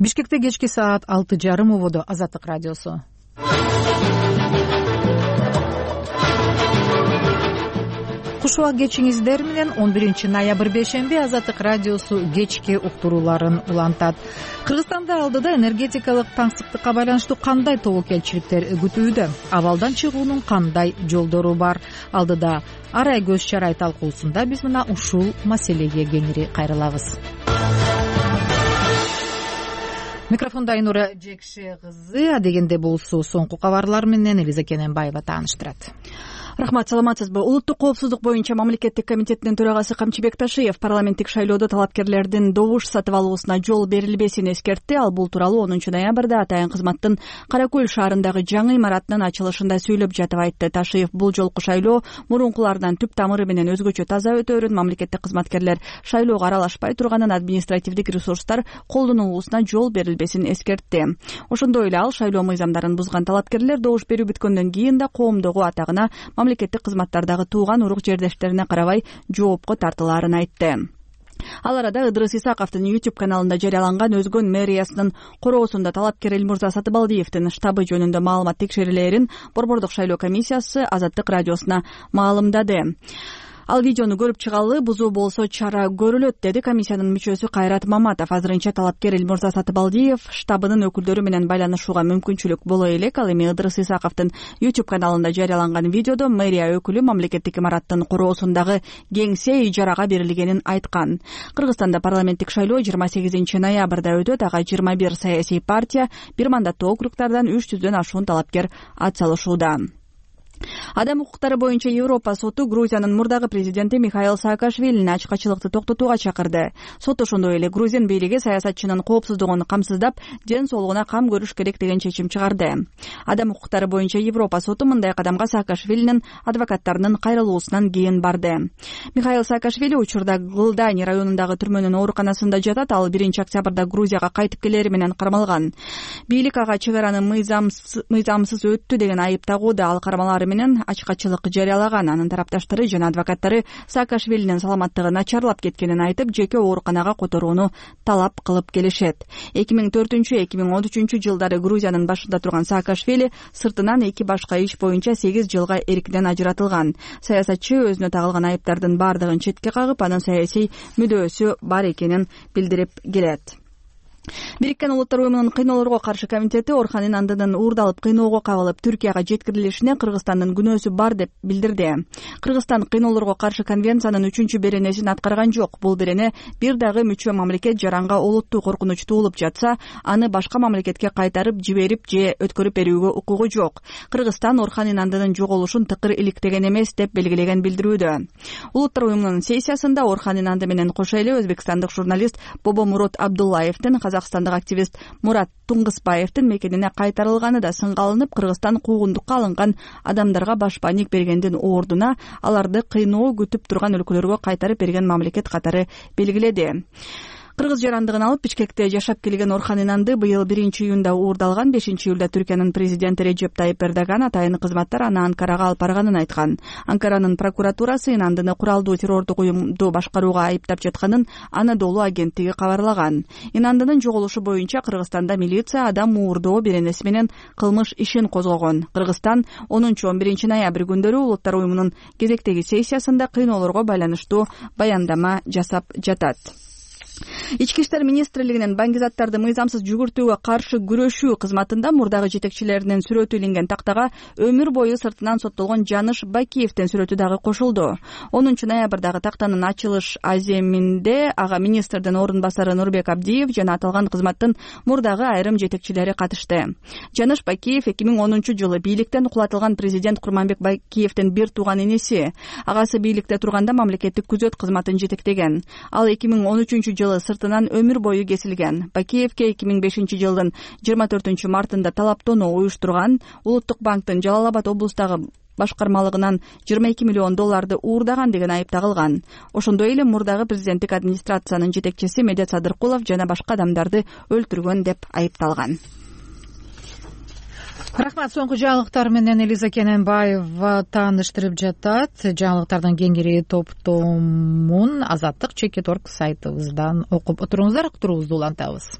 Бишкекте кечки саат 6:30 убоду. Азаттык радиосу. Куш убак кечиңиздер менен 11 ноябрь бейшемби Азаттык радиосу кечки уктурууларын улантат. Кыргызстанда алдыда энергетикалык таңсыктыкка байланыштуу кандай тобокелчиликтер күтүүдө? Абалдан чыгуунун кандай жолдору бар? Алдыда арай көз чарай талкуусунда биз мына ушул маселеге кеңири кайрылабыз. Микрофонда Айнура Жекше кызы. Адегенде болсу соңку кабарлар менен Элиза Кененбаева тааныштырат. Рахмат, саламатсызбы? Улуттук коопсуздук боюнча мамлекеттик комитетинин төрагасы Камчыбек Ташиев парламенттик шайлоодо талапкерлердин добуш сатып алуусуна жол берилбесин эскертти. Ал бул тууралуу 10 ноябрда атайын кызматтын Кара Көл шаарындагы жаңы имараттын ачылышында сүйлөп жатып айтты. Ташиев бул жолку шайлоо мурункулардан түп тамыры менен өзгөчө таза өтөөрүн, мамлекеттик кызматкерлер шайлоого аралашпай турганын, административдик ресурстар колдонулуусуна жол берилбесин эскертти. Ошондой эле ал шайлоо мыйзамдарын бузган талапкерлер добуш берүү бүткөндөн кийин да коомдогу атагына, мамлекеттик кызматтардагы тууган урук жердештерине карабай жоопко тартылаарын айтты. Ал арада Ыдырыс Исаковдун YouTube каналында жарыяланган Өзгөн мэриясынын короосунда талапкер Элмурза Сатыбалдиевдин штабы жөнүндө маалымат текшерилээрин Борбордук шайлоо комиссиясы Азаттык радиосуна маалымдады. Ал видеону көрүп чыгалы, бузуу болсо чара көрүлөт, деди комиссиянын мүчөсү Кайрат Маматов. Азырынча талапкер Элмурза Сатыбалдиев штабынын өкүлдөрү менен байланышууга мүмкүнчүлүк боло элек. Ал эми Ыдырыс Исаковдун YouTube каналында жарыяланган видеодо мэрия өкүлү мамлекеттик имараттын короосундагы кеңсе ижарага берилгенин айткан. Кыргызстанда парламенттик шайлоо 28 ноябрда өтөт. Ага 21 саясий партия, бир мандаттуу округдардан 300дөн ашуун талапкер ат салышууда. Адам укуктары боюнча Европа соту Грузиянын мурдагы президенти Михаил Саакашвилини ачкачылыкты токтотууга чакырды. Сот ошондой эле Грузин бийлиги саясатчынын коопсуздугун камсыздап, ден соолугуна кам көрүш керек деген чечим чыгарды. Адам укуктары боюнча Европа соту мындай кадамга Саакашвилинин адвокаттарынын кайрылуусунан кийин барды. Михаил Саакашвили учурда Гылдани районундагы түрмөнүн ооруканасында жатат. Ал 1 октябрда Грузияга кайтып келери менен кармалган. Бийлик ага чек араны мыйзамсыз өттү деген айып тагууда. Ал кармалары менен ачкачылык жарыялаган. Анын тарапташтары жана адвокаттары Саакашвилинин саламаттыгы начарлап кеткенин айтып, жеке ооруканага которууну талап кылып келишет. 2004-2013 жылдары Грузиянын башында турган Саакашвили сыртынан 2 башка иш боюнча 8 жылга эркинен ажыратылган. Саясатчы өзүнө тагылган айыптардын бардыгын четке кагып, анын саясий мүдөөсү бар экенин билдирип келет. Бириккен Улуттар уюмунун кыйноолорго каршы комитети Орхан Инандынын уурдалып кыйноого кабылып Түркияга жеткирилишине Кыргызстандын күнөөсү бар деп билдирди. Кыргызстан кыйноолорго каршы конвенциянын 3-беренесин аткарган жок. Бул берене бир дагы мүчө мамлекет жаранга олуттуу коркунуч туулуп жатса, аны башка мамлекетке кайтарып жиберип же өткөрүп берүүгө укугу жок. Кыргызстан Орхан Инандынын жоголушун тыкыр иликтеген эмес деп белгилеген билдирүүдө. Улуттар уюмунун сессиясында Орхан Инанды менен кошо эле өзбекстандык журналист Бобомурод Абдуллаевдин, казакстандык активист Мурат Туңгызбаевдин мекенине кайтарылганы да сынга алынып, Кыргызстан куугундукка алынган адамдарга башпаник бергендин ордуна аларды кыйноо күтүп турган өлкөлөргө кайтарып берген мамлекет катары белгиледи. Кыргыз жарандыгын алып Бишкекте жашап келген Орхан Инанды быйыл 1 июнда уурдалган. 5 июлда Түркиянын президенти Режеп Тайип Эрдоган атайын кызматтар аны Анкарага алып барганын айткан. Анкаранын прокуратурасы Инандыны куралдуу террордук уюмду башкарууга айыптап жатканын Анадолу агенттиги кабарлаган. Инандынын жоголушу боюнча Кыргызстанда милиция адам уурдоо беренеси менен кылмыш ишин козгогон. Кыргызстан 10-11 ноябрь күндөрү Улуттар уюмунун кезектеги сессиясында кыйноолорго байланыштуу баяндама жасап жатат. Ички иштер министрлигинин баңгизаттарды мыйзамсыз жүгүртүүгө каршы күрөшүү кызматында мурдагы жетекчилеринин сүрөтү илинген тактага өмүр бою сыртынан соттолгон Жаныш Бакиевдин сүрөтү дагы кошулду. 10 ноябрдагы тактанын ачылыш аземинде ага министрдин орун басары Нурбек Абдиев жана аталган кызматтын мурдагы айрым жетекчилери катышты. Жаныш Бакиев 2010 жылы бийликтен кулатылган президент Курманбек Бакиевдин бир тууган энеси. Агасы бийликте турганда мамлекеттик күзөт кызматын жетектеген. Ал 2013 жылы сыртынан өмүр бою кесилген. Бакиевке 2005 жылдын 24 мартында талаптонуу уюштурган, Улуттук банктын Жалал Абад облустагы башкармалыгынан 22 миллион долларды уурдаган деген айып тагылган. Ошондой эле мурдагы президенттик администрациянын жетекчиси Медет Садыркулов жана башка адамдарды өлтүргөн деп айыпталган. Рахмат. Соңку жаңылыктар менен Элиза Кененбаева тааныштырып жатат. Жаңылыктардын кеңири топтомун Азаттык Чекит.org сайтыбыздан окуп отуруңуздар. Уктуруубузду улантабыз.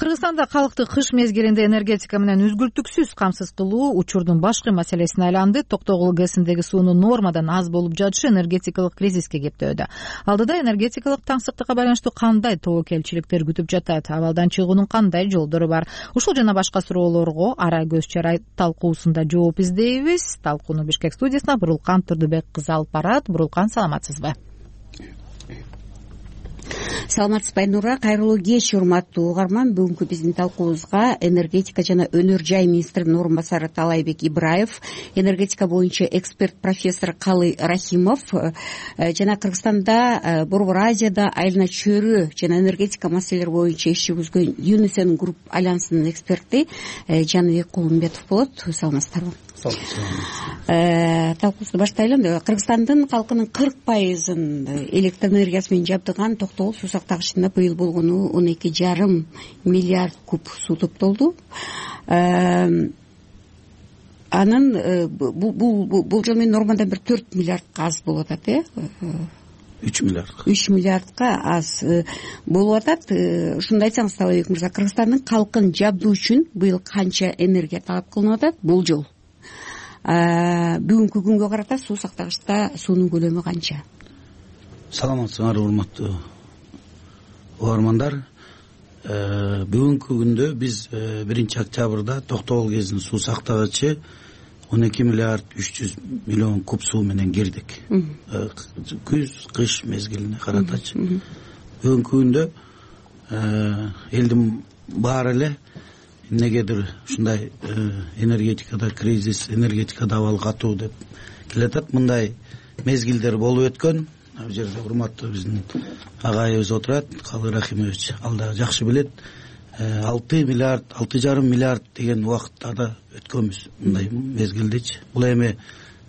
Кыргызстанда калкты кыш мезгилинде энергетика менен үзгүлтүксүз камсыз кылуу учурдун башкы маселесине айланды. Токтогул ГЭСиндеги суунун нормадан аз болуп жатышы энергетикалык кризиске кептөөдө. Алдыда энергетикалык таңсыктыкка байланыштуу кандай тобокелчиликтер күтүп жатат? Абалдан чыгуунун кандай жолдору бар? Ушул жана башка суроолорго ара көз чарай талкуусунда жооп издейбиз. Талкууну Бишкек студиясына Бурулкан Турдубек кызы алып барат. Бурулкан, саламатсызбы? Саламатсызбы Айнура, кайрылуу кеч урматтуу угарман. Бүгүнкү биздин талкуубузга энергетика жана өнөр жай министринин орун басары Таалайбек Ибраев, энергетика боюнча эксперт профессор Калы Рахимов жана Кыргызстанда, Борбор Азияда айлана чөйрө жана энергетика маселелери боюнча иш жүргүзгөн Юнисен Групп альянсынын эксперти Жаныбек Кулумбетов болот. Саламатсыздарбы? Талкуубузду баштайлы. Кыргызстандын калкынын 40% электр энергиясы менен жабдыган Токтогул суу сактагычында быйыл болгону 12,5 миллиард куб суу топтолду. Анын бул жол менен нормадан бир 4 миллиардка аз болуп атат, 3 миллиардка аз болуп атат. Ушунду айтсаңыз, Таалайбек мырза, Кыргызстандын калкын жабдуу үчүн быйыл канча энергия талап кылынып атат бул жол? Бүгүнкү күнгө карата суу сактагычта суунун көлөмү канча? Саламатсыңар, урматтуу угармандар. Бүгүнкү күндө биз 1-октябрда Токтогул ГЭСинин суу сактагычы 12 миллиард 300 миллион куб суу менен кирдик. Күз, кыш мезгилине каратачы. Бүгүнкү күндө элдин баары эле эмнегедир ушундай энергетикада кризис, энергетикада абал катуу деп келатат. Мындай мезгилдер болуп өткөн. Бул жерде урматтуу биздин агайыбыз отурат, Калы Рахимович, ал да жакшы билет. 6 миллиард, 6,5 миллиард деген убакыттарда өткөнбүз мындай мезгилдечи. Бул эми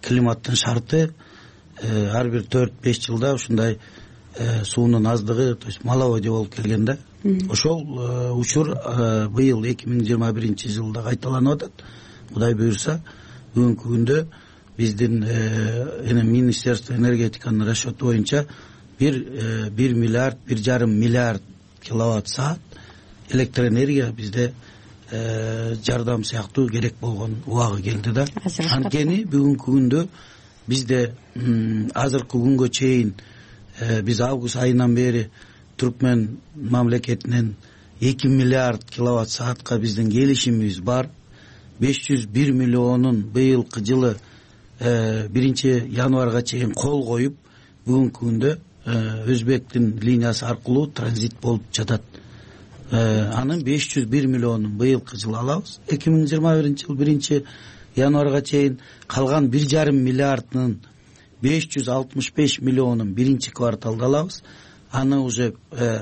климаттын шарты. Ар бир 4-5 жылда ушундай суунун аздыгы, то есть маловодье болуп келген да. Ошол учур быйыл 2021 жылда кайталанып атат. Кудай буюрса, бүгүнкү күндө биздин Министерство энергетиканын расчету боюнча 1 миллиард 1,5 миллиард киловатт саат электр энергия бизде жардам сыяктуу керек болгон убагы келди да. Анткени бүгүнкү күндө бизде азыркы күнгө чейин биз август айынан бери Түркмен мамлекетинен 2 миллиард киловатт саатка биздин келишимибиз бар. 501 миллионун быйылкы жылы 1-январга чейин кол коюп, бүгүнкү күндө Өзбектин линиясы аркылуу транзит болуп жатат. Анын 501 миллионун быйылкы жылы алабыз. 2021 жыл 1-январга чейин калган 1,5 миллиардынын 565 миллионун 1-кварталда алабыз. Аны уже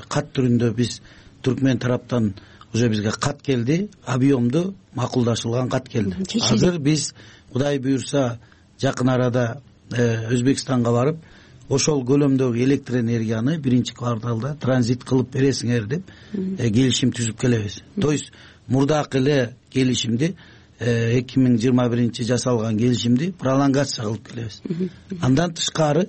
кат түрүндө биз Түркмен тараптан уже бизге кат келди, объемду макулдашылган кат келди. Азыр биз Кудай буюрса жакын арада Өзбекстанга барып, ошол көлөмдөгү электр энергияны 1-кварталда транзит кылып бересиңер деп келишим түзүп келебиз. То есть мурдакы эле келишимди 2021 жасалган келишимди пролонгация кылып келебиз. Андан тышкары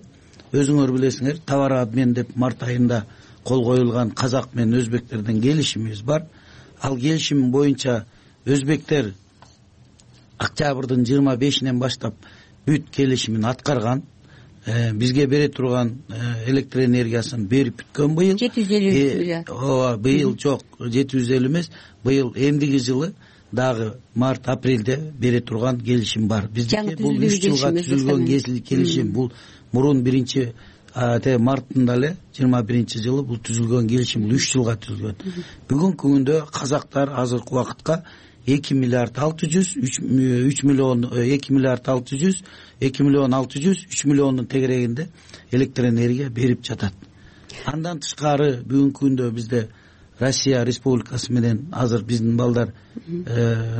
өзүңөр билесиңер, товар обмен деп март айында кол коюлган казак менен өзбектердин келишимибиз бар. Ал келишим боюнча өзбектер октябрдын 25-инен баштап бүт келишимин аткарган. Бизге бере турган электр энергиясын берип бүткөн быйыл. 750 миллиард. Быйыл жок, 750 эмес. Быйыл эмдиги жылы дагы март-апрелде бере турган келишим бар. Биздики бул 3 жылга түзүлгөн келишим. Бул мурун 1-марттында эле 21 жылы бул түзүлгөн келишим, бул 3 жылга түзүлгөн. Бүгүнкү күндө казактар азыркы убакытка 2 миллиард 600, 3 миллион 2 миллиард 600, 2 миллион 600, 3 миллиондун тегерегинде электр энергия берип жатат. Андан тышкары бүгүнкү күндө бизде Россия Республикасы менен азыр биздин балдар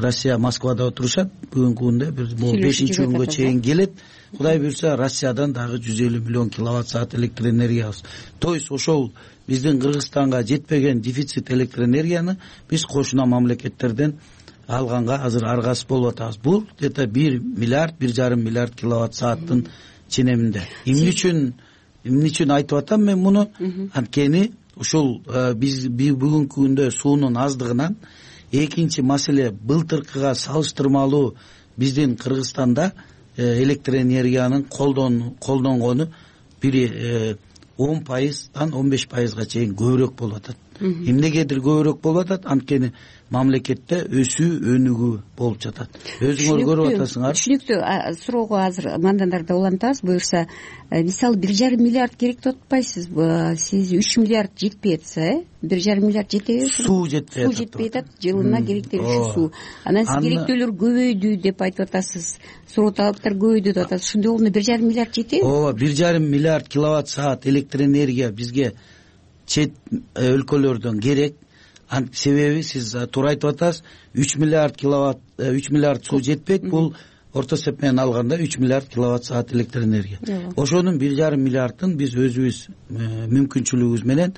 Россия Москвада отурушат. Бүгүнкү күндө бул 5-күнгө чейин келет. Кудай буюрса Россиядан дагы 150 миллион киловатт саат электр энергиябыз. То есть ошол биздин Кыргызстанга жетпеген дефицит электр энергияны биз кошуна мамлекеттерден алганга азыр аргасыз болуп атабыз. Бул где-то 1 миллиард 1,5 миллиард киловатт сааттын ченеминде. Эмне үчүн айтып атам мен муну? Анткени ушул биз бүгүнкү күндө суунун аздыгынан экинчи маселе былтыркыга салыштырмалуу биздин Кыргызстанда электр энергиянын колдонгону бир 10%дан 15%га чейин көбүрөөк болуп атат. Эмнегедир көбүрөөк болуп атат? Анткени мамлекетте өсүү өнүгүү болуп жатат. Өзүңөр көрүп атасыңар. Түшүнүктүү. Суроого азыр мандандарды улантабыз. Буюрса, мисалы 1,5 миллиард керек деп атпайсызбы? Сиз 3 миллиард жетпей атса, 1,5 миллиард жетеби? Суу жетпей атат. Жылына керектелүүчү суу. Анан сиз керектөөлөр көбөйдү деп айтып атасыз. Суроо талаптар көбөйдү деп атасыз. Ошондой болгондо 1,5 миллиард жетеби? Ооба, 1,5 миллиард киловатт саат электр энергия бизге чет өлкөлөрдөн керек. Себеби сиз туура айтып атасыз, 3 миллиард суу жетпейт. Бул орто эсеп менен алганда 3 миллиард киловатт саат электр энергия. Ошонун 1,5 миллиардын биз өзүбүз мүмкүнчүлүгүбүз менен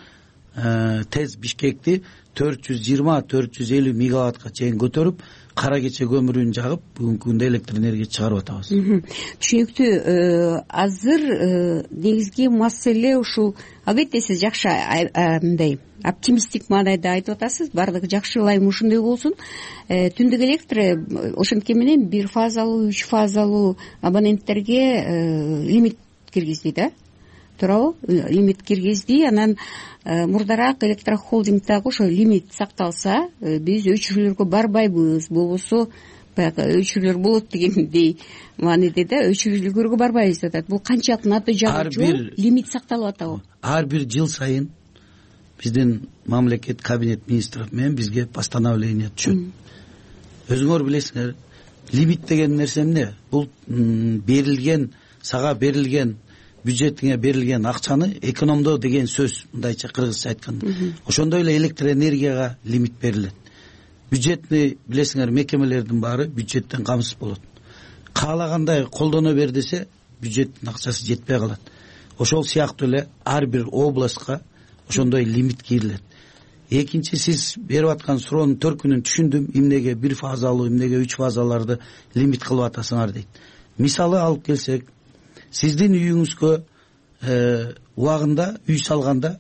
тез Бишкекти 420-450 мегаваттка чейин көтөрүп, кара кече көмүрүн жагып, бүгүнкү күндө электр энергия чыгарып атабыз. Түшүнүктүү. Азыр негизги маселе ушул. Албетте сиз жакшы мындай оптимисттик маанайда айтып атасыз. Баардыгы жакшы, ылайым ушундай болсун. Түндүк электр ошентке менен 1 фазалуу, 3 фазалуу абоненттерге лимит киргизди да. Туурабы? Лимит киргизди. Анан мурдараак электрохолдингдагы ошо лимит сакталса, биз өчүрүүлөргө барбайбыз. Болбосо баягы өчүрүүлөр болот дегендей мааниде да өчүрүүлөргө барбайбыз деп атат. Бул канчалык натыйжалуу жол? Лимит сакталып атабы? Ар бир жыл сайын биздин мамлекет кабинет министров менен бизге постановление түшөт. Өзүңөр билесиңер, лимит деген нерсе эмне? Бул сага берилген бюджетиңе берилген акчаны экономдоо деген сөз, мындайча кыргызча айтканда. Ошондой эле электр энергияга лимит берилет. Бюджетни билесиңер, мекемелердин баары бюджеттен камсыз болот. Каалагандай колдоно бер десе, бюджеттин акчасы жетпей калат. Ошол сыяктуу эле ар бир областка ошондой лимит кирилет. Экинчи, сиз берип аткан суроонун төркүнүн түшүндүм. Эмнеге 1 фазалуу, эмнеге 3 фазаларды лимит кылып атасыңар дейт. Мисалы алып келсек, сиздин үйүңүзгө убагында үй салганда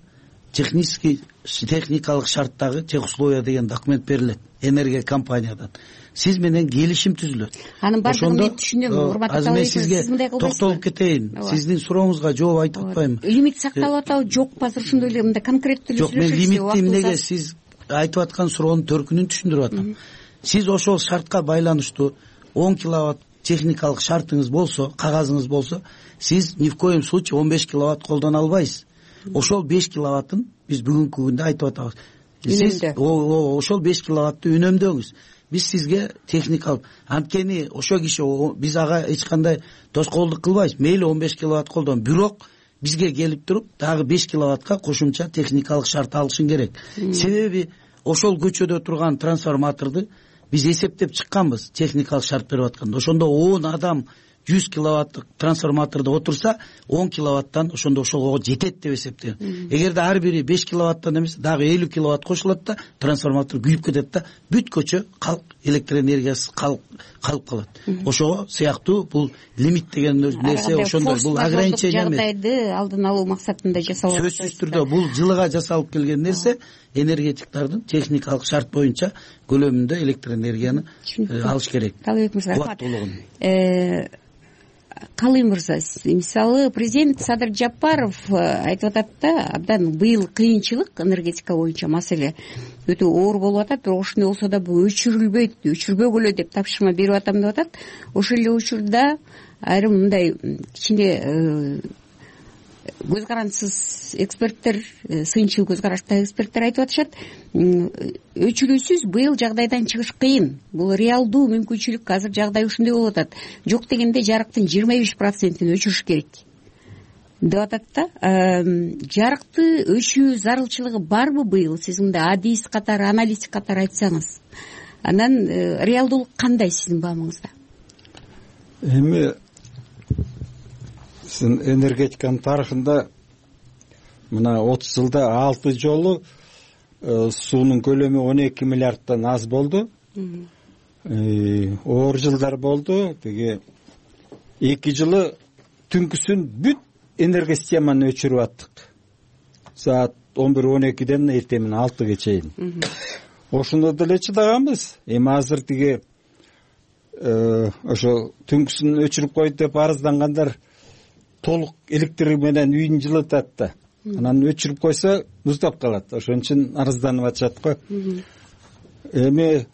техникалык шарттагы техусловия деген документ берилет энергия компаниядан. Сиз менен келишим түзүлөт. Анын баардыгын мен түшүнөм. Урматтуу талап, сиз мындай кылбайсызбы? Токтолуп кетейин. Сиздин сурооңузга жооп айтып атпаймынбы? Лимит сакталып атабы, жокпу? Азыр ошондой эле мындай конкреттүү жок, мен лимитти эмнеге сиз айтып аткан суроонун төркүнүн түшүндүрүп атам. Сиз ошол шартка байланыштуу 10 киловатт техникалык шартыңыз болсо, кагазыңыз болсо, сиз ни в коем случае 15 киловатт колдоно албайсыз. Ошол 5 киловаттын биз бүгүнкү күндө айтып атабыз. Сиз ошол 5 киловаттты үнөмдөңүз. Биз сизге техникалык, анткени ошо киши биз ага эч кандай тоскоолдук кылбайбыз. Мейли 15 киловатт колдон, бирок бизге келип туруп дагы 5 киловаттка кошумча техникалык шарт алышың керек. Себеби ошол көчөдө турган трансформаторду биз эсептеп чыкканбыз, техникалык шарт берип атканда. Ошондо 10 адам 100 киловаттык трансформатордо отурса, 10 киловаттан ошондо ошого жетет деп эсептеген. Эгерде ар бири 5 киловаттан эмес, дагы 50 киловатт кошулат да, трансформатор күйүп кетет да, бүт көчө электр энергиясыз калып калат. Ошого сыяктуу бул лимит деген нерсе ошондой, бул ограничение эмес. Жагдайды алдын алуу максатында жасалат. Сөзсүз түрдө бул жылыга жасалып келген нерсе, энергетиктердин техникалык шарт боюнча көлөмүндө электр энергияны алыш керек. Талабек мырза, рахмат. Калый мырза, мисалы президент Садыр Жапаров айтып атат да, абдан быйыл кыйынчылык энергетика боюнча маселе өтө оор болуп атат, бирок ошондой болсо да бул өчүрбөгүлө деп тапшырма берип атам деп атат. Ошол эле учурда айрым мындай кичине көз карандысыз эксперттер, сынчыл көз караштагы эксперттер айтып атышат, өчүрүүсүз быйыл жагдайдан чыгыш кыйын. Бул реалдуу мүмкүнчүлүк, азыр жагдай ушундай болуп атат. Жок дегенде жарыктын 25%-ин өчүрүш керек деп атат да. Жарыкты өчүрүү зарылчылыгы барбы быйыл? Сиз мындай адист катары, аналитик катары айтсаңыз. Анан реалдуулук кандай сиздин баамыңызда? Эми энергетиканын тарыхында мына 30 жылда 6 жолу суунун көлөмү 12 миллиардтан аз болду. Оор жылдар болду. Теги 2 жылы түнкүсүн бүт энергосистеманы өчүрүп аттык. Саат 11-12ден эртең 6га чейин. Ошондо деле чыдаганбыз. Эми азыр тиги ошо түнкүсүн өчүрүп койду деп арыздангандар толук электр менен үйүн жылытат да. Анан өчүрүп койсо муздап калат. Ошон үчүн арызданып атышат го. Эми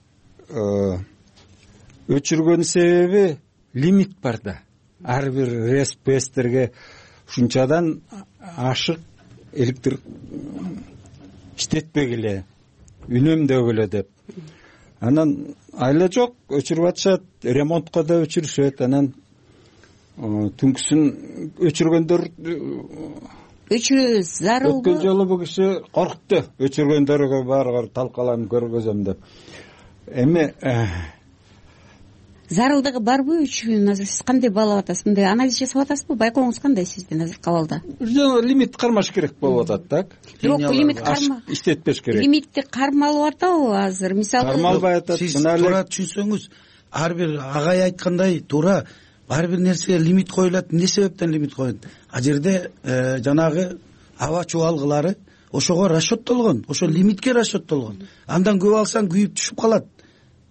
өчүргөн себеби лимит бар да. Ар бир РСПСтерге ушунчадан ашык электр иштетпегиле, үнөмдөгүлө деп. Анан айла жок, өчүрүп атышат, ремонтко да өчүрүшөт. Анан түнкүсүн өчүргөндөр өчүрүү зарыл. Өткөн жолу бул киши коркутту. Өчүргөндөргө баарыгы талкаланып көргөзөм деп. Эми зарылдыгы барбы өчүрүүнүн? Азыр сиз кандай баалап атасыз? Мындай анализ жасап атасызбы? Байкооңуз кандай сиздин азыр кабалда? Лимит кармаш керек болуп атат, так? Бирок лимит иштетпеш керек. Лимитти кармалып атабы азыр? Мисалы кармалбай атат. Сиз туура түшүнсөңүз, ар бир агай айткандай туура ар бир нерсеге лимит коюлат. Эмне себептен лимит коюлат? А жерде жанагы аба чубалгылары ошого расчеттолгон, ошо лимитке расчеттолгон. Андан көп алсаң күйүп түшүп калат.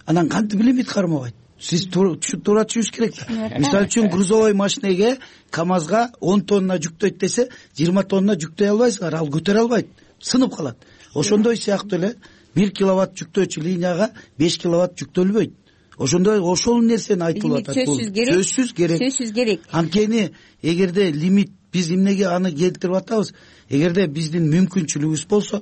Анан кантип лимит кармабайт? Сиз туура түшүнүш керек да. Мисалы үчүн грузовой машинеге КамАЗга 10 тонна жүктөйт десе, 20 тонна жүктөй албайсыңар, ал көтөрө албайт, сынып калат. Ошондой сыяктуу эле 1 киловатт жүктөөчү линияга 5 киловатт жүктөлбөйт. Ошондой ошол нерсени айтылып атат. Сөзсүз керек. Анткени эгерде лимит биз эмнеге аны келтирип атабыз? Эгерде биздин мүмкүнчүлүгүбүз болсо,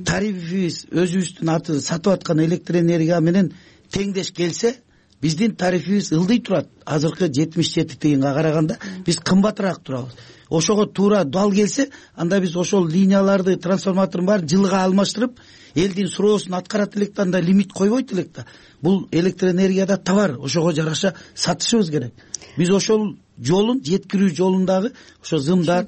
тарифибиз өзүбүздүн аты сатып аткан электр энергия менен теңдеш келсе, биздин тарифибиз ылдый турат. Азыркы 77 тыйынга караганда биз кымбатыраак турабыз. Ошого туура дал келсе, анда биз ошол линияларды, трансформатордун баарын жылга алмаштырып, элдин суроосун аткарат элек да, анда лимит койбойт элек да. Бул электр энергияда товар, ошого жараша сатышыбыз керек. Биз ошол жолун, жеткирүү жолундагы ошо зымдар,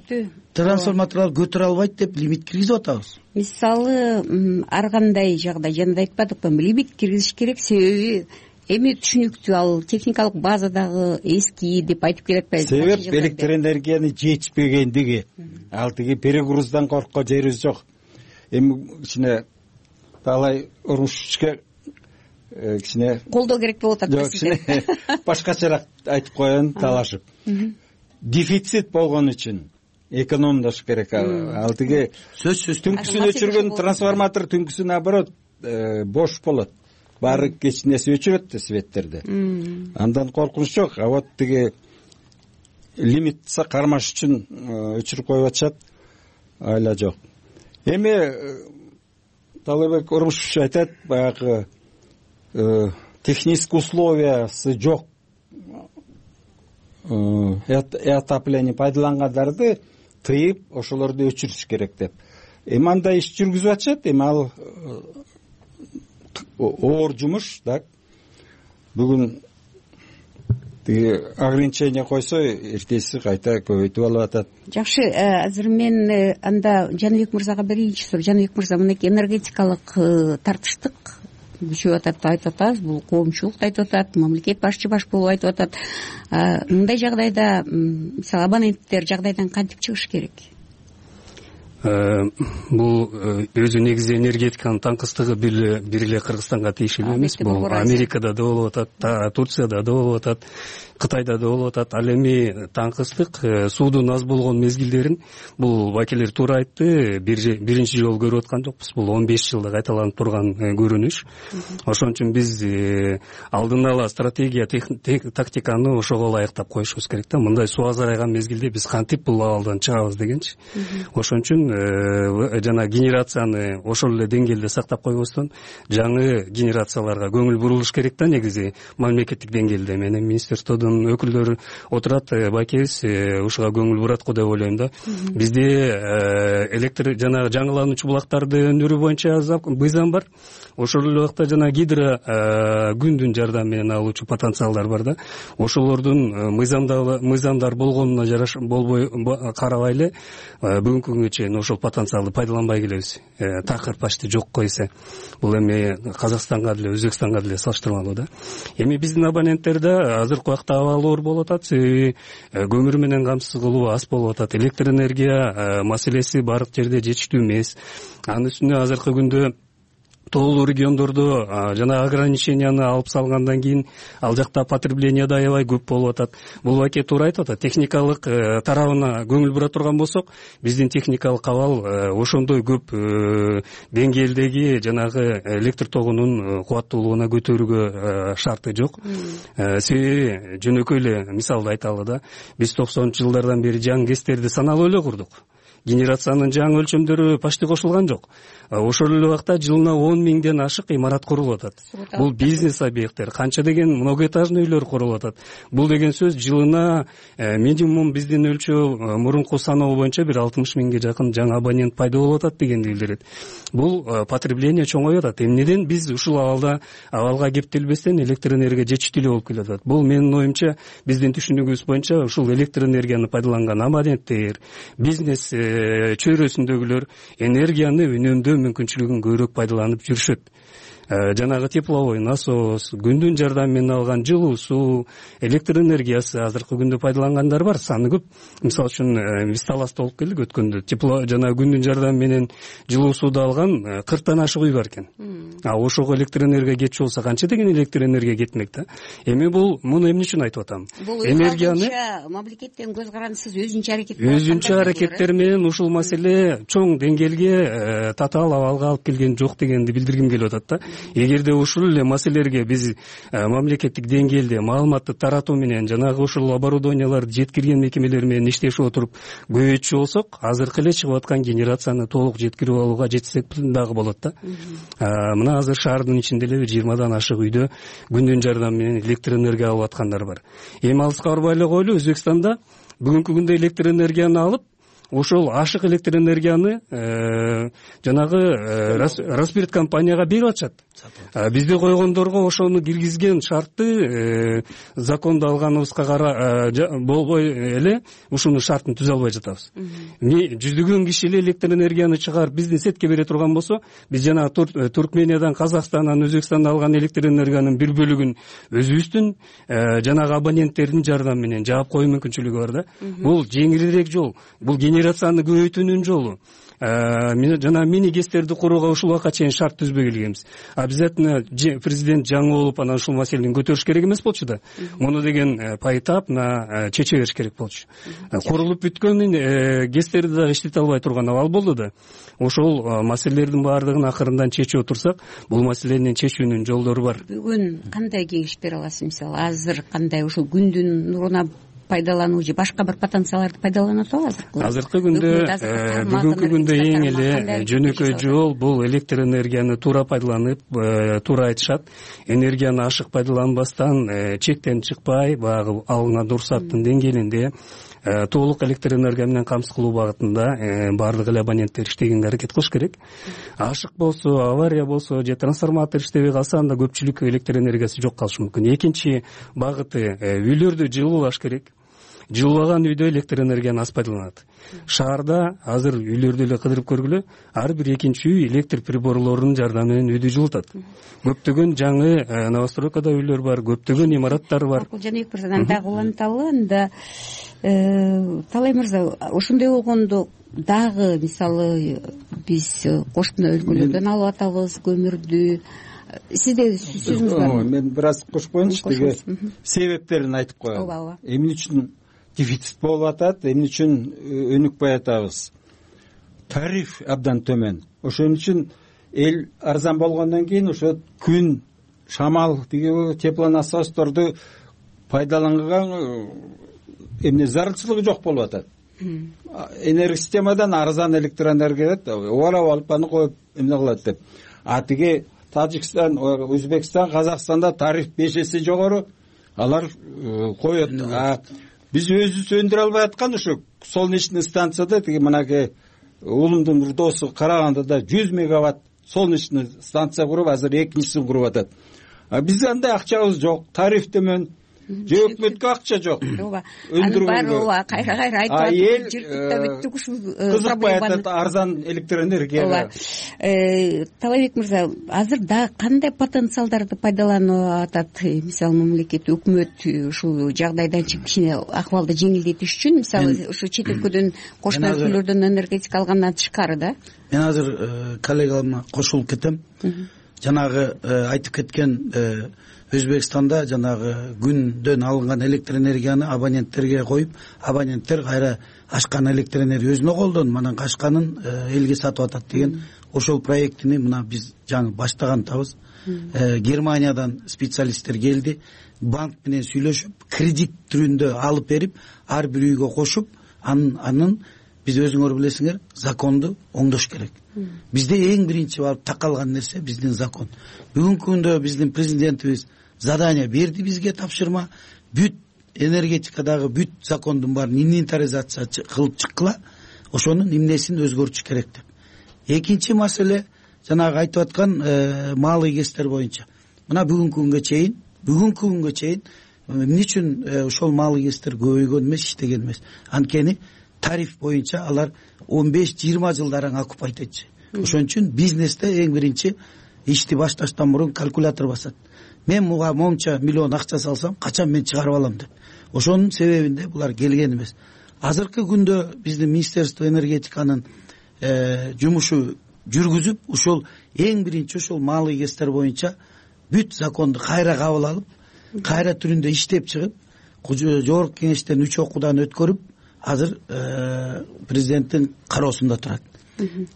трансформаторлор көтөрө албайт деп лимит киргизип атабыз. Мисалы, ар кандай жагдай, жана айтпадыкпы, лимит киргизиш керек, себеби эми түшүнүктүү, ал техникалык базадагы эски деп айтып келатпайбы? Себеп электр энергияны жетишпегендиги. Ал тиги перегруздан корккон жерибиз жок. Эми кичине талай урушка кичине колдоо керек болуп атат. Жок, кичине башкачараак айтып коеюн, талашып. Дефицит болгон үчүн экономдош керек. Ал тиги сөзсүз түнкүсүн өчүргөн трансформатор түнкүсүн наоборот бош болот. Баары кечинеси өчүрөт да светтерди. Андан коркунуч жок. А вот тиги лимит кармаш үчүн өчүрүп коюп атышат. Айла жок. Эми Талайбек Урмушевич айтат, баягы технический условиясы жок отопление пайдалангандарды тыйып, ошолорду өчүрүш керек деп. Эми андай иш жүргүзүп атышат. Эми ал оор жумуш, так. Бүгүн тиги ограничение койсо, эртеси кайта көбөйтүп алып атат. Жакшы, азыр мен анда Жаныбек мырзага биринчи суроо. Жаныбек мырза, мынакей энергетикалык тартыштык күчөп атат, айтып атабыз, бул коомчулук айтып атат, мамлекет башчы баш болуп айтып атат. Мындай жагдайда, мисалы, абоненттер жагдайдан кантип чыгыш керек? Бул өзү негизи энергетиканын таңкыстыгы бир эле Кыргызстанга тийиштүү эмес. Бул Америкада да болуп атат, Турцияда да болуп атат, Кытайда да болуп атат. Ал эми таңкыстык суудун аз болгон мезгилдерин бул вакилдер туура айтты, биринчи жолу көрүп аткан жокпуз. Бул 15 жылда кайталанып турган көрүнүш. Ошон үчүн биз алдын ала стратегия, тактиканы ошого ылайыктап коюшубуз керек да. Мындай суу азайган мезгилде биз кантип бул абалдан чыгабыз дегенчи. Ошон үчүн жана генерацияны ошол эле деңгээлде сактап койбостон жаңы генерацияларга көңүл бурулуш керек да. Негизи мамлекеттик деңгээлде менен министрликтодун өкүлдөрү отурат, байкебиз ушуга көңүл бурат го деп ойлойм да. Бизде электр жана жаңылануучу булактарды өндүрүү боюнча мыйзам бар. Ошол эле убакта жана гидро күндүн жардамы менен алуучу потенциалдар бар да. Ошолордун мыйзамдар болгонуна жараша болбой карабай эле бүгүнкү күнгө чейин ошол потенциалды пайдаланбай келебиз. Такыр почти жок койсо. Бул эми Казакстанга деле, Өзбекстанга деле салыштырмалуу да. Эми биздин абоненттерде азыркы убакта абалы оор болуп атат, себеби көмүр менен камсыз кылуу аз болуп атат. Электр энергия маселеси баардык жерде жетиштүү эмес. Анын үстүнө азыркы күндө тоолуу региондордо жана ограниченияны алып салгандан кийин ал жакта потребление да аябай көп болуп атат. Бул баке туура айтып атат. Техникалык тарабына көңүл бура турган болсок, биздин техникалык абал ошондой көп деңгээлдеги жанагы электр тогунун кубаттуулугуна көтөрүүгө шарты жок. Себеби жөнөкөй эле мисалды айталы да, биз 90-жылдардан бери жаңы КЭСтерди саналуу эле курдук. Генерациянын жаңы өлчөмдөрү почти кошулган жок. Ошол эле убакта жылына 10 миңден ашык имарат курулуп атат. Бул бизнес объекттер, канча деген многоэтажный үйлөр курулуп атат. Бул деген сөз жылына минимум биздин өлчөө мурунку саноо боюнча бир 60 миңге жакын жаңы абонент пайда болуп атат дегенди билдирет. Бул потребление чоңоюп атат. Эмнеден биз ушул абалга кептелбестен электр энергия жетиштүү болуп келатат. Бул менин оюмча биздин түшүнүгүбүз боюнча ушул электр энергияны пайдаланган абоненттер, бизнес чөйрөсүндөгүлөр энергияны үнөмдөө мүмкүнчүлүгүн көбүрөөк пайдаланып жүрүшөт. Жанагы тепловой насос, күндүн жардамы менен алган жылуу суу, электр энергиясы азыркы күндө пайдалангандар бар, саны көп. Мисалы үчүн биз Таласта болуп келдик өткөндө. Жана күндүн жардамы менен жылуу сууду алган 40тан ашык үй бар экен. Ошого электр энергия кетчү болсо канча деген электр энергия кетмек да. Эми муну эмне үчүн айтып атам? Энергияны мамлекеттен көз карандысыз өзүнчө аракеттер менен ушул маселе чоң деңгээлге татаал абалга алып келген жок дегенди билдиргим келип атат да. Эгерде ушул эле маселелерге биз мамлекеттик деңгээлде маалыматты таратуу менен жанагы ушул оборудованияларды жеткирген мекемелер менен иштешип отуруп көбөйтчү болсок, азыркы эле чыгып аткан генерацияны толук жеткирип алууга жетсек дагы болот да. Мына азыр шаардын ичинде эле 20дан ашык үйдө күндүн жардамы менен электр энергия алып аткандар бар. Эми алыска барбай эле коелу, Өзбекстанда бүгүнкү күндө электр энергияны алып, ошол ашык электр энергияны жанагы Роспирт компанияга берип атышат. Бизде койгондорго ошону киргизген шартты закондо алганыбызга болбой эле ушуну шартын түзө албай жатабыз. Жүздөгөн киши эле электр энергияны чыгарып биздин сетке бере турган болсо, биз жана Туркмениядан, Казакстандан, Өзбекстандан алган электр энергиянын бир бөлүгүн өзүбүздүн жанагы абоненттердин жардамы менен жаап коюу мүмкүнчүлүгү бар да. Бул жеңилирээк жол. Бул генерацияны көбөйтүүнүн жолу. Жана мини КЭСтерди курууга ушул убакка чейин шарт түзбөй келгенбиз. Обязательно президент жаңы болуп анан ушул маселени көтөрүш керек эмес болчу да. Муну деген пайтап чече бериш керек болчу. Курулуп бүткөн КЭСтерди да иштете албай турган абал болду да. Ошол маселелердин баардыгын акырындан чечип отурсак, бул маселени чечүүнүн жолдору бар. Бүгүн кандай кеңеш бере аласыз? Мисалы, азыр кандай ушул күндүн нуруна пайдалануу же башка бир потенциалдарды пайдаланат атабы? Азыркы күндө бүгүнкү күндө эң эле жөнөкөй жол бул электр энергияны туура пайдаланып, туура айтышат, энергияны ашык пайдаланбастан, чектен чыкпай, баягы алынган уруксаттын деңгээлинде толук электр энергия менен камсыз кылуу багытында баардык эле абоненттер иштегенге аракет кылыш керек. Ашык болсо, авария болсо же трансформатор иштебей калса, анда көпчүлүк электр энергиясы жок калышы мүмкүн. Экинчи багыты үйлөрдү жылуулаш керек. Жылуулаган үйдө электр энергияны аз пайдаланат. Шаарда азыр үйлөрдү эле кыдырып көргүлө, ар бир экинчи үй электр приборлорунун жардамы менен үйдү жылытат. Көптөгөн жаңы новостройкада үйлөр бар, көптөгөн имараттар бар. Жаныбек мырзадан дагы уланталы, анда Талай мырза, ошондой болгондо дагы мисалы биз кошуна өлкөлөрдөн алып атабыз көмүрдү. Сизде сөзүңүз барбы? Мен бир аз кошуп коеюнчу, тиги себептерин айтып коелу. Эмне үчүн дефицит болуп атат, эмне үчүн өнүкпөй атабыз? Тариф абдан төмөн. Ошон үчүн эл арзан болгондон кийин ошо күн, шамал, тиги теплонасосторду пайдаланган эмне зарылчылыгы жок болуп атат. Энергосистемадан арзан электр энергия оорап алып аны коюп эмне кылат деп. Тиги Тажикстан, Өзбекстан, Казакстанда тариф 5 эсе жогору, алар коет. Биз өзүбүз өндүрө албай аткан ошо солнечный станцияда, тиги мынакей уулумдун бир досу Карагандыда 100 мегаватт солнечный станция куруп, азыр экинчисин куруп атат. Биз андай акчабыз жок, тариф төмөн. же өкмөткө акча жок ооба анын баары ооба кайра айтып атып жыртып бүттүк ушул кызыкпай атат арзан электроэнергияга. ооба талайбек мырза азыр дагы кандай потенциалдарды пайдаланып атат мисалы мамлекет өкмөт ушул жагдайдан чыгып кичине акыбалды жеңилдетиш үчүн мисалы ушу чет өлкөдөн кошмо өлкөлөрдөн энергетика алгандан тышкары да? Мен азыр коллегама кошулуп кетем. Жанагы айтып кеткен Өзбекстанда жанагы күндөн алынган электроэнергияны абоненттерге коюп, абоненттер кайра ашкан электроэнергия өзүнө колдонуп, анан качканын элге сатып атат деген ошол проектини мына биз жаңы баштаган атабыз. Германиядан специалисттер келди, банк менен сүйлөшүп, кредит түрүндө алып берип, ар бир үйгө кошуп, анын биз өзүңөр билесиңер, законду оңдош керек. Бизде эң биринчи барып такалган нерсе биздин закон. Бүгүнкү күндө биздин президентибиз задание берди бизге, тапшырма, бүт энергетикадагы бүт закондун баарын инвентаризация кылып чыккыла, ошонун эмнесин өзгөртүш керек деп. Экинчи маселе жанагы айтып аткан малый кесиптер боюнча. Мына бүгүнкү күнгө чейин эмне үчүн ошол малый кесиптер көбөйгөн эмес, иштеген эмес? Анткени тариф боюнча алар 15-20 жылдарың окупайт этчи. Ошон үчүн бизнесте эң биринчи ишти башташтан мурун калькулятор басат. Мен муга момча миллион акча салсам, качан мен чыгарып алам деп. Ошонун себебинде булар келген эмес. Азыркы күндө биздин Министерство энергетиканын жумушу жүргүзүп, ошол эң биринчи ошол малый кесиптер боюнча бүт законду кайра кабыл алып, кайра түрүндө иштеп чыгып, жогорку кеңештен 3 окуудан өткөрүп, азыр президенттин кароосунда турат.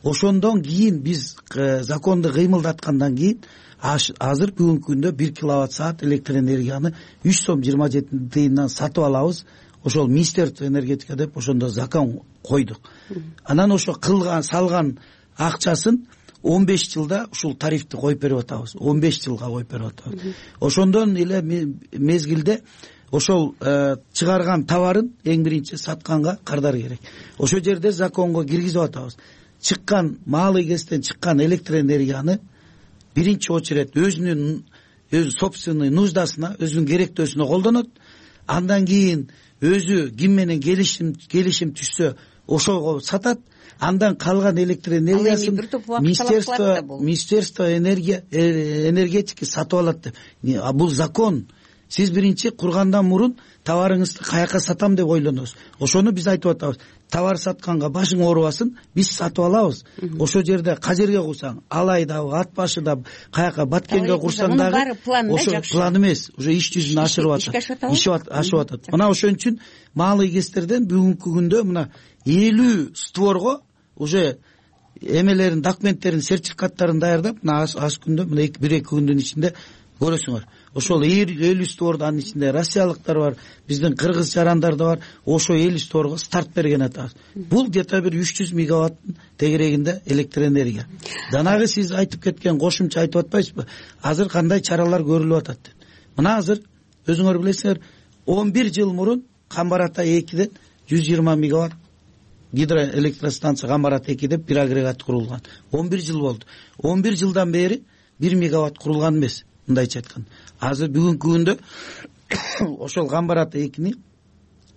Ошондон кийин биз законду кыймылдаткандан кийин азыр бүгүнкү күндө 1 киловатт саат электроэнергияны 3 сом 27 тыйындан сатып алабыз. Ошол Министерство энергетика деп ошондо закон койдук. Анан ошо кылган салган акчасын 15 жылда ушул тарифти коюп берип атабыз. 15 жылга коюп берип атабыз. Ошондон эле мезгилде ошол чыгарган товарын эң биринчи сатканга кардар керек. Ошол жерде законго киргизип атабыз. Чыккан малый кесиптен чыккан электроэнергияны биринчи очередь өзүнүн собственный нуждасына, өзүнүн керектөөсүнө колдонот. Андан кийин өзү ким менен келишим түшсө ошого сатат. Андан калган электроэнергиясын Министерство энергетики сатып алат деп. Бул закон. Сиз биринчи кургандан мурун товарыңызды каяка сатам деп ойлоносуз. Ошону биз айтып атабыз. Товар сатканга башың оорубасын, биз сатып алабыз. Ошол жерде кажерге курсаң, алайда, ат башы да каяка Баткенге курсаң дагы ошо план эмес, уже иш жүзүнө ашырып атат. Ашып атат. Мына ошон үчүн малый кесиптерден бүгүнкү күндө мына 50 створго уже эмелерин, документтерин, сертификаттарын даярдап, мына аз күндө, мына 1-2 күндүн ичинде көрөсүңөр. Ошол 50 створдун анын ичинде россиялыктар бар, биздин кыргыз жарандар да бар. Ошо 50 створго старт берген атабыз. Бул где-то бир 300 мегаватттын тегерегинде электроэнергия. Данагы сиз айтып кеткен кошумча айтып атпайсызбы? Азыр кандай чаралар көрүлүп атат деп. Мына азыр өзүңөр билесиңер, 11 жыл мурун Камбар-Ата 2ден 120 мегаватт гидроэлектростанция Камбар-Ата 2 деп бир агрегат курулган. 11 жыл болду. 11 жылдан бери 1 мегаватт курулган эмес. Мындайча айтканда, азыр бүгүнкү күндө ошол Камбар-Ата 2ни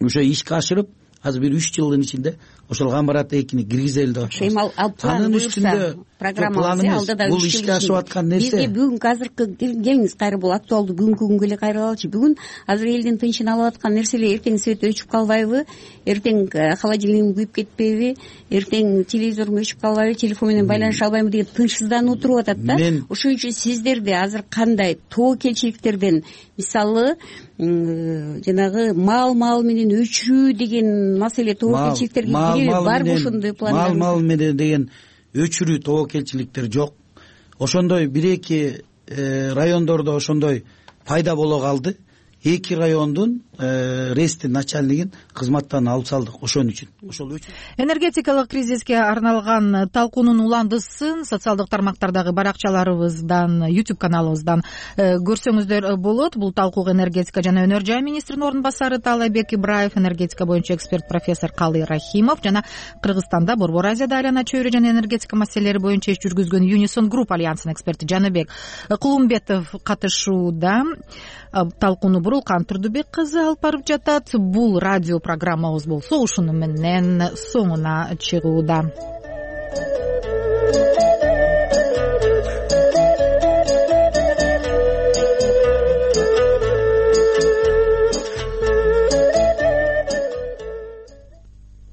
ошо ишке ашырып, азыр бир 3 жылдын ичинде ошол Камбар-Ата 2ни киргизели деп атабыз. Анын үстүндө программабыз алдыда бул ишке ашып аткан нерсе. Бизге бүгүнкү азыркы келиңиз кайра бул актуалдуу бүгүнкү күнгө эле кайра алалы. Бүгүн азыр элдин тынчын алып аткан нерселер, эртең свет өчүп калбайбы, эртең холодильник күйүп кетпейби, эртең телевизорум өчүп калбайбы, телефон менен байланыша албайбы деген тынчсыздануу туруп атат да. Ошон үчүн сиздерде азыр кандай тобокелчиликтерден, мисалы жанагы мал менен өчүрүү деген маселе тобокелчиликтерге кириби барбы ошондой пландар? Мал менен деген өчүрүү тобокелчиликтер жок. Ошондой 1-2 райондордо ошондой пайда боло калды. 2 райондун ресттин начальнигин кызматтан алып салдык ошон үчүн. Ошол үчүн энергетикалык кризиске арналган талкуунун уландысын социалдык тармактардагы баракчаларыбыздан, YouTube каналыбыздан көрсөңүздөр болот. Бул талкууга энергетика жана өнөр жай министринин орун басары Талайбек Ибраев, энергетика боюнча эксперт профессор Калый Рахимов жана Кыргызстанда Борбор Азияда айлана чөйрө жана энергетика маселелери боюнча иш жүргүзгөн Unison Group альянсынын эксперти Жаныбек Кулумбетов катышууда. Талкууну Бурулкан Турдубек кызы алып барып жатат. Бул радио программабыз болсо ушуну менен соңуна чыгууда.